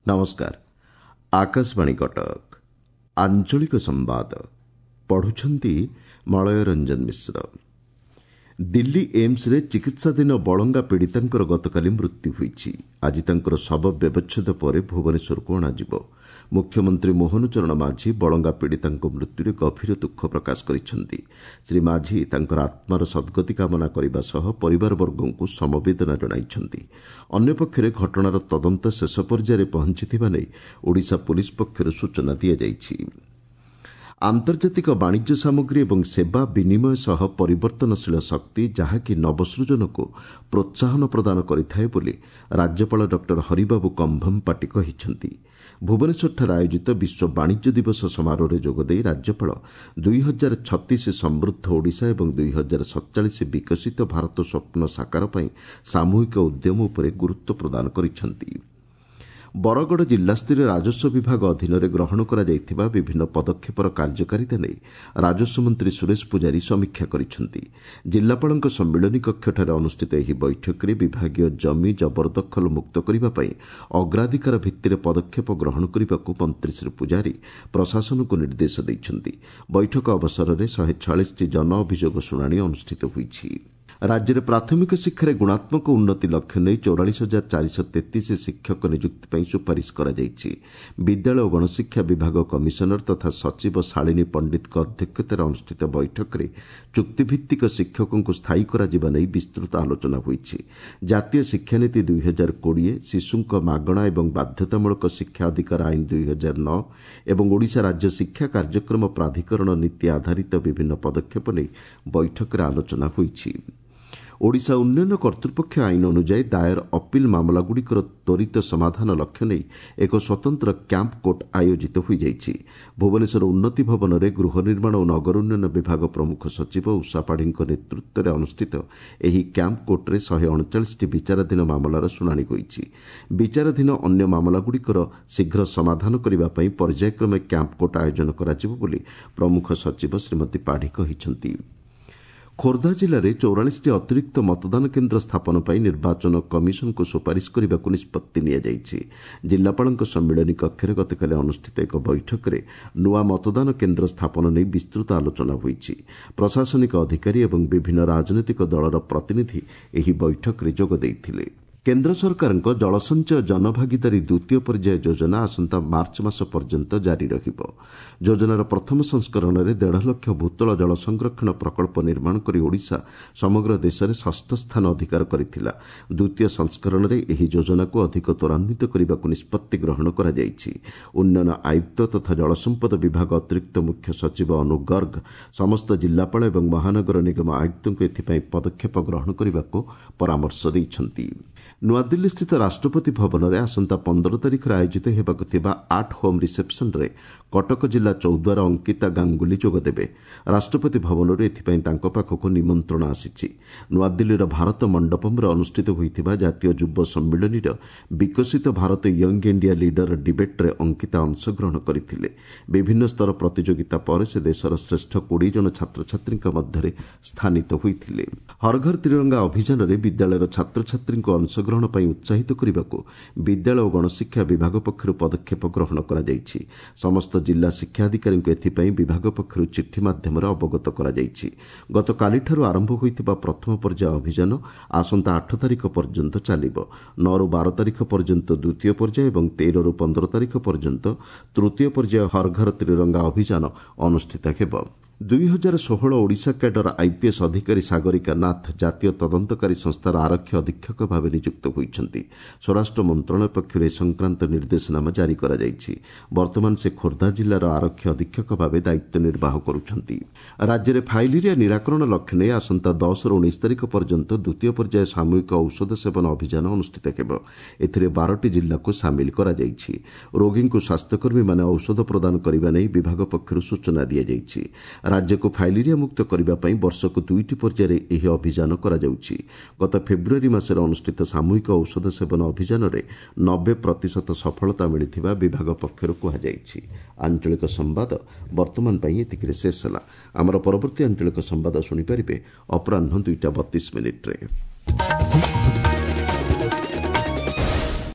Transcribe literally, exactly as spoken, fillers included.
ନମସ୍କାର ଆକାଶବାଣୀ କଟକ ଆଞ୍ଚଳିକ ସମ୍ବାଦ ପଢୁଛନ୍ତି ମଳୟ ରଞ୍ଜନ ମିଶ୍ର ଦିଲ୍ଲୀ ଏମ୍ସରେ ଚିକିତ୍ସାଧୀନ ବଳଙ୍ଗା ପୀଡ଼ିତାଙ୍କର ଗତକାଲି ମୃତ୍ୟୁ ହୋଇଛି ଆଜି ତାଙ୍କର ଶବ ବ୍ୟବଚ୍ଛେଦ ପରେ ଭୁବନେଶ୍ୱରକୁ ଅଣାଯିବ ମୁଖ୍ୟମନ୍ତ୍ରୀ ମୋହନ ଚରଣ ମାଝୀ ବଳଙ୍ଗା ପୀଡ଼ିତାଙ୍କ ମୃତ୍ୟୁରେ ଗଭୀର ଦୁଃଖ ପ୍ରକାଶ କରିଛନ୍ତି ଶ୍ରୀ ମାଝୀ ତାଙ୍କର ଆତ୍ମାର ସଦ୍ଗତି କାମନା କରିବା ସହ ପରିବାରବର୍ଗଙ୍କୁ ସମବେଦନା ଜଣାଇଛନ୍ତି ଅନ୍ୟପକ୍ଷରେ ଘଟଣାର ତଦନ୍ତ ଶେଷ ପର୍ଯ୍ୟାୟରେ ପହଞ୍ଚିଥିବା ନେଇ ଓଡ଼ିଶା ପୁଲିସ୍ ପକ୍ଷରୁ ସୂଚନା ଦିଆଯାଇଛି ଆନ୍ତର୍ଜାତିକ ବାଣିଜ୍ୟ ସାମଗ୍ରୀ ଏବଂ ସେବା ବିନିମୟ ସହ ପରିବର୍ତ୍ତନଶୀଳ ଶକ୍ତି ଯାହାକି ନବସୃଜନକୁ ପ୍ରୋତ୍ସାହନ ପ୍ରଦାନ କରିଥାଏ ବୋଲି ରାଜ୍ୟପାଳ ଡକ୍ଟର ହରିବାବୁ କମ୍ଭମପାଟି କହିଛନ୍ତି ଭୁବନେଶ୍ୱରଠାରେ ଆୟୋଜିତ ବିଶ୍ୱ ବାଣିଜ୍ୟ ଦିବସ ସମାରୋହରେ ଯୋଗଦେଇ ରାଜ୍ୟପାଳ ଦୁଇ ହଜାର ଛତିଶ ସମୃଦ୍ଧ ଓଡ଼ିଶା ଏବଂ ଦୁଇ ହଜାର ସତଚାଳିଶ ବିକଶିତ ଭାରତ ସ୍ୱପ୍ନ ସାକାର ପାଇଁ ସାମୂହିକ ଉଦ୍ୟମ ଉପରେ ଗୁରୁତ୍ୱ ପ୍ରଦାନ କରିଛନ୍ତି ବରଗଡ଼ ଜିଲ୍ଲାସ୍ତରୀୟ ରାଜସ୍ୱ ବିଭାଗ ଅଧୀନରେ ଗ୍ରହଣ କରାଯାଇଥିବା ବିଭିନ୍ନ ପଦକ୍ଷେପର କାର୍ଯ୍ୟକାରିତା ନେଇ ରାଜସ୍ୱ ମନ୍ତ୍ରୀ ସୁରେଶ ପୂଜାରୀ ସମୀକ୍ଷା କରିଛନ୍ତି ଜିଲ୍ଲାପାଳଙ୍କ ସମ୍ମିଳନୀ କକ୍ଷଠାରେ ଅନୁଷ୍ଠିତ ଏହି ବୈଠକରେ ବିଭାଗୀୟ ଜମି ଜବରଦଖଲ ମୁକ୍ତ କରିବା ପାଇଁ ଅଗ୍ରାଧିକାର ଭିତ୍ତିରେ ପଦକ୍ଷେପ ଗ୍ରହଣ କରିବାକୁ ମନ୍ତ୍ରୀ ଶ୍ରୀ ପୂଜାରୀ ପ୍ରଶାସନକୁ ନିର୍ଦ୍ଦେଶ ଦେଇଛନ୍ତି ବୈଠକ ଅବସରରେ ଶହେ ଛୟାଳିଶଟି ଜନ ଅଭିଯୋଗ ଶୁଣାଣି ଅନୁଷ୍ଠିତ ହୋଇଛି ରାଜ୍ୟରେ ପ୍ରାଥମିକ ଶିକ୍ଷାରେ ଗୁଣାତ୍ମକ ଉନ୍ନତି ଲକ୍ଷ୍ୟ ନେଇ ଚଉରାଳିଶ ହଜାର ଚାରିଶହ ତେତିଶ ଶିକ୍ଷକ ନିଯୁକ୍ତି ପାଇଁ ସୁପାରିଶ କରାଯାଇଛି ବିଦ୍ୟାଳୟ ଓ ଗଣଶିକ୍ଷା ବିଭାଗ କମିଶନର ତଥା ସଚିବ ଶାଳିନୀ ପଣ୍ଡିତଙ୍କ ଅଧ୍ୟକ୍ଷତାରେ ଅନୁଷ୍ଠିତ ବୈଠକରେ ଚୁକ୍ତିଭିତ୍ତିକ ଶିକ୍ଷକଙ୍କୁ ସ୍ଥାୟୀ କରାଯିବା ନେଇ ବିସ୍ତୃତ ଆଲୋଚନା ହୋଇଛି ଜାତୀୟ ଶିକ୍ଷାନୀତି ଦୁଇ ହଜାର କୋଡ଼ିଏ ଶିଶୁଙ୍କ ମାଗଣା ଏବଂ ବାଧ୍ୟତାମୂଳକ ଶିକ୍ଷା ଅଧିକାର ଆଇନ ଦୁଇ ହଜାର ନଅ ଏବଂ ଓଡ଼ିଶା ରାଜ୍ୟ ଶିକ୍ଷା କାର୍ଯ୍ୟକ୍ରମ ପ୍ରାଧିକରଣ ନୀତି ଆଧାରିତ ବିଭିନ୍ନ ପଦକ୍ଷେପ ନେଇ ବୈଠକରେ ଆଲୋଚନା ହୋଇଛି ଓଡ଼ିଶା ଉନ୍ନୟନ କର୍ତ୍ତୃପକ୍ଷ ଆଇନ ଅନୁଯାୟୀ ଦାୟର ଅପିଲ୍ ମାମଲାଗୁଡ଼ିକର ତ୍ୱରିତ ସମାଧାନ ଲକ୍ଷ୍ୟ ନେଇ ଏକ ସ୍ୱତନ୍ତ୍ର କ୍ୟାମ୍ପ କୋର୍ଟ ଆୟୋଜିତ ହୋଇଯାଇଛି ଭୁବନେଶ୍ୱର ଉନ୍ନତି ଭବନରେ ଗୃହ ନିର୍ମାଣ ଓ ନଗର ଉନ୍ନୟନ ବିଭାଗ ପ୍ରମୁଖ ସଚିବ ଉଷା ପାଢ଼ୀଙ୍କ ନେତୃତ୍ୱରେ ଅନୁଷ୍ଠିତ ଏହି କ୍ୟାମ୍ପ କୋର୍ଟରେ ଶହେ ଅଣଚାଳିଶଟି ବିଚାରାଧୀନ ମାମଲାର ଶୁଣାଣି ହୋଇଛି ବିଚାରାଧୀନ ଅନ୍ୟ ମାମଲାଗୁଡ଼ିକର ଶୀଘ୍ର ସମାଧାନ କରିବା ପାଇଁ ପର୍ଯ୍ୟାୟକ୍ରମେ କ୍ୟାମ୍ପ କୋର୍ଟ ଆୟୋଜନ କରାଯିବ ବୋଲି ପ୍ରମୁଖ ସଚିବ ଶ୍ରୀମତୀ ପାଢ଼ୀ କହିଛନ୍ତି ଖୋର୍ଦ୍ଧା ଜିଲ୍ଲାରେ ଚଉରାଳିଶଟି ଅତିରିକ୍ତ ମତଦାନ କେନ୍ଦ୍ର ସ୍ଥାପନ ପାଇଁ ନିର୍ବାଚନ କମିଶନଙ୍କୁ ସୁପାରିଶ କରିବାକୁ ନିଷ୍ପତ୍ତି ନିଆଯାଇଛି ଜିଲ୍ଲାପାଳଙ୍କ ସମ୍ମିଳନୀ କକ୍ଷରେ ଗତକାଲି ଅନୁଷ୍ଠିତ ଏକ ବୈଠକରେ ନୂଆ ମତଦାନ କେନ୍ଦ୍ର ସ୍ଥାପନ ନେଇ ବିସ୍ତୃତ ଆଲୋଚନା ହୋଇଛି ପ୍ରଶାସନିକ ଅଧିକାରୀ ଏବଂ ବିଭିନ୍ନ ରାଜନୈତିକ ଦଳର ପ୍ରତିନିଧି ଏହି ବୈଠକରେ ଯୋଗ ଦେଇଥିଲେ କେନ୍ଦ୍ର ସରକାରଙ୍କ ଜଳସଞ୍ଚୟ ଜନଭାଗିଦାରୀ ଦ୍ୱିତୀୟ ପର୍ଯ୍ୟାୟ ଯୋଜନା ଆସନ୍ତା ମାର୍ଚ୍ଚ ମାସ ପର୍ଯ୍ୟନ୍ତ ଜାରି ରହିବ ଯୋଜନାର ପ୍ରଥମ ସଂସ୍କରଣରେ ଦେଢ଼ ଲକ୍ଷ ଭୂତଳ ଜଳ ସଂରକ୍ଷଣ ପ୍ରକଳ୍ପ ନିର୍ମାଣ କରି ଓଡ଼ିଶା ସମଗ୍ର ଦେଶରେ ଷଷ୍ଠ ସ୍ଥାନ ଅଧିକାର କରିଥିଲା ଦ୍ୱିତୀୟ ସଂସ୍କରଣରେ ଏହି ଯୋଜନାକୁ ଅଧିକ ତ୍ୱରାନ୍ୱିତ କରିବାକୁ ନିଷ୍ପତ୍ତି ଗ୍ରହଣ କରାଯାଇଛି ଉନ୍ନୟନ ଆୟୁକ୍ତ ତଥା ଜଳସମ୍ପଦ ବିଭାଗ ଅତିରିକ୍ତ ମୁଖ୍ୟ ସଚିବ ଅନୁ ଗର୍ଗ ସମସ୍ତ ଜିଲ୍ଲାପାଳ ଏବଂ ମହାନଗର ନିଗମ ଆୟୁକ୍ତଙ୍କୁ ଏଥିପାଇଁ ପଦକ୍ଷେପ ଗ୍ରହଣ କରିବାକୁ ପରାମର୍ଶ ଦେଇଛନ୍ତି ନୂଆଦିଲ୍ଲୀସ୍ଥିତ ରାଷ୍ଟ୍ରପତି ଭବନରେ ଆସନ୍ତା ପନ୍ଦର ତାରିଖରେ ଆୟୋଜିତ ହେବାକୁ ଥିବା ଆଟ୍ ହୋମ୍ ରିସେପ୍ସନ୍ରେ କଟକ ଜିଲ୍ଲା ଚୌଦ୍ୱାର ଅଙ୍କିତା ଗାଙ୍ଗୁଲି ଯୋଗଦେବେ ରାଷ୍ଟ୍ରପତି ଭବନରୁ ଏଥିପାଇଁ ତାଙ୍କ ପାଖକୁ ନିମନ୍ତ୍ରଣ ଆସିଛି ନୂଆଦିଲ୍ଲୀର ଭାରତ ମଣ୍ଡପମ୍ରେ ଅନୁଷ୍ଠିତ ହୋଇଥିବା ଜାତୀୟ ଯୁବ ସମ୍ମିଳନୀର Viksit Bharat young India leader ଡିବେଟ୍ରେ ଅଙ୍କିତା ଅଂଶଗ୍ରହଣ କରିଥିଲେ ବିଭିନ୍ନ ସ୍ତର ପ୍ରତିଯୋଗିତା ପରେ ସେ ଦେଶର ଶ୍ରେଷ୍ଠ କୋଡ଼ିଏ ଜଣ ଛାତ୍ରଛାତ୍ରୀଙ୍କ ମଧ୍ୟରେ ସ୍ଥାନିତ ହୋଇଥିଲେ ହରଘର ତ୍ରିରଙ୍ଗା ଅଭିଯାନରେ ବିଦ୍ୟାଳୟର ଛାତ୍ରଛାତ୍ରୀଙ୍କୁ ଅଂଶଗ୍ରହଣ ପାଇଁ ଉତ୍ସାହିତ କରିବାକୁ ବିଦ୍ୟାଳୟ ଓ ଗଣଶିକ୍ଷା ବିଭାଗ ପକ୍ଷରୁ ପଦକ୍ଷେପ ଗ୍ରହଣ କରାଯାଇଛି ସମସ୍ତ ଜିଲ୍ଲା ଶିକ୍ଷାଧିକାରୀଙ୍କୁ ଏଥିପାଇଁ ବିଭାଗ ପକ୍ଷରୁ ଚିଠି ମାଧ୍ୟମରେ ଅବଗତ କରାଯାଇଛି ଗତକାଲିଠାରୁ ଆରମ୍ଭ ହୋଇଥିବା ପ୍ରଥମ ପର୍ଯ୍ୟାୟ ଅଭିଯାନ ଆସନ୍ତା ଆଠ ତାରିଖ ପର୍ଯ୍ୟନ୍ତ ଚାଲିବ ନଅରୁ ବାର ତାରିଖ ପର୍ଯ୍ୟନ୍ତ ଦ୍ୱିତୀୟ ପର୍ଯ୍ୟାୟ ଏବଂ ତେରରୁ ପନ୍ଦର ତାରିଖ ପର୍ଯ୍ୟନ୍ତ ତୃତୀୟ ପର୍ଯ୍ୟାୟ ହରଘର ତ୍ରିରଙ୍ଗା ଅଭିଯାନ ଅନୁଷ୍ଠିତ ହେବ ଦୁଇ ହଜାର ଷୋହଳ ଓଡ଼ିଶା କ୍ୟାଡର ଆଇପିଏସ୍ ଅଧିକାରୀ ସାଗରିକା ନାଥ ଜାତୀୟ ତଦନ୍ତକାରୀ ସଂସ୍ଥାର ଆରକ୍ଷୀ ଅଧୀକ୍ଷକ ଭାବେ ନିଯୁକ୍ତ ହୋଇଛନ୍ତି ସ୍ୱରାଷ୍ଟ୍ର ମନ୍ତ୍ରଣାଳୟ ପକ୍ଷରୁ ଏ ସଂକ୍ରାନ୍ତ ନିର୍ଦ୍ଦେଶନାମା ଜାରି କରାଯାଇଛି ବର୍ତ୍ତମାନ ସେ ଖୋର୍ଦ୍ଧା ଜିଲ୍ଲାର ଆରକ୍ଷୀ ଅଧୀକ୍ଷକ ଭାବେ ଦାୟିତ୍ୱ ନିର୍ବାହ କରୁଛନ୍ତି ରାଜ୍ୟରେ ଫାଇଲେରିଆ ନିରାକରଣ ଲକ୍ଷ୍ୟ ନେଇ ଆସନ୍ତା ଦଶରୁ ଉଣେଇଶ ତାରିଖ ପର୍ଯ୍ୟନ୍ତ ଦ୍ୱିତୀୟ ପର୍ଯ୍ୟାୟ ସାମୂହିକ ଔଷଧ ସେବନ ଅଭିଯାନ ଅନୁଷ୍ଠିତ ହେବ ଏଥିରେ ବାରଟି ଜିଲ୍ଲାକୁ ସାମିଲ କରାଯାଇଛି ରୋଗୀଙ୍କୁ ସ୍ୱାସ୍ଥ୍ୟକର୍ମୀମାନେ ଔଷଧ ପ୍ରଦାନ କରିବା ନେଇ ବିଭାଗ ପକ୍ଷରୁ ସୂଚନା ଦିଆଯାଇଛି ରାଜ୍ୟକୁ ଫାଇଲେରିଆ ମୁକ୍ତ କରିବା ପାଇଁ ବର୍ଷକୁ ଦୁଇଟି ପର୍ଯ୍ୟାୟରେ ଏହି ଅଭିଯାନ କରାଯାଉଛି ଗତ ଫେବୃଆରୀ ମାସରେ ଅନୁଷ୍ଠିତ ସାମୂହିକ ଔଷଧ ସେବନ ଅଭିଯାନରେ ନବେ ପ୍ରତିଶତ ସଫଳତା ମିଳିଥିବା ବିଭାଗ ପକ୍ଷରୁ କୁହାଯାଇଛି ଆଞ୍ଚଳିକ ସମ୍ବାଦ ବର୍ତ୍ତମାନ ପାଇଁ ଏତିକିରେ ଶେଷ ହେଲା ଆମର ପରବର୍ତ୍ତୀ ଆଞ୍ଚଳିକ ସମ୍ବାଦ ଶୁଣିପାରିବେ ଅପରାହ୍ନ ଦୁଇଟା ବତିଶ ମିନିଟ୍ରେ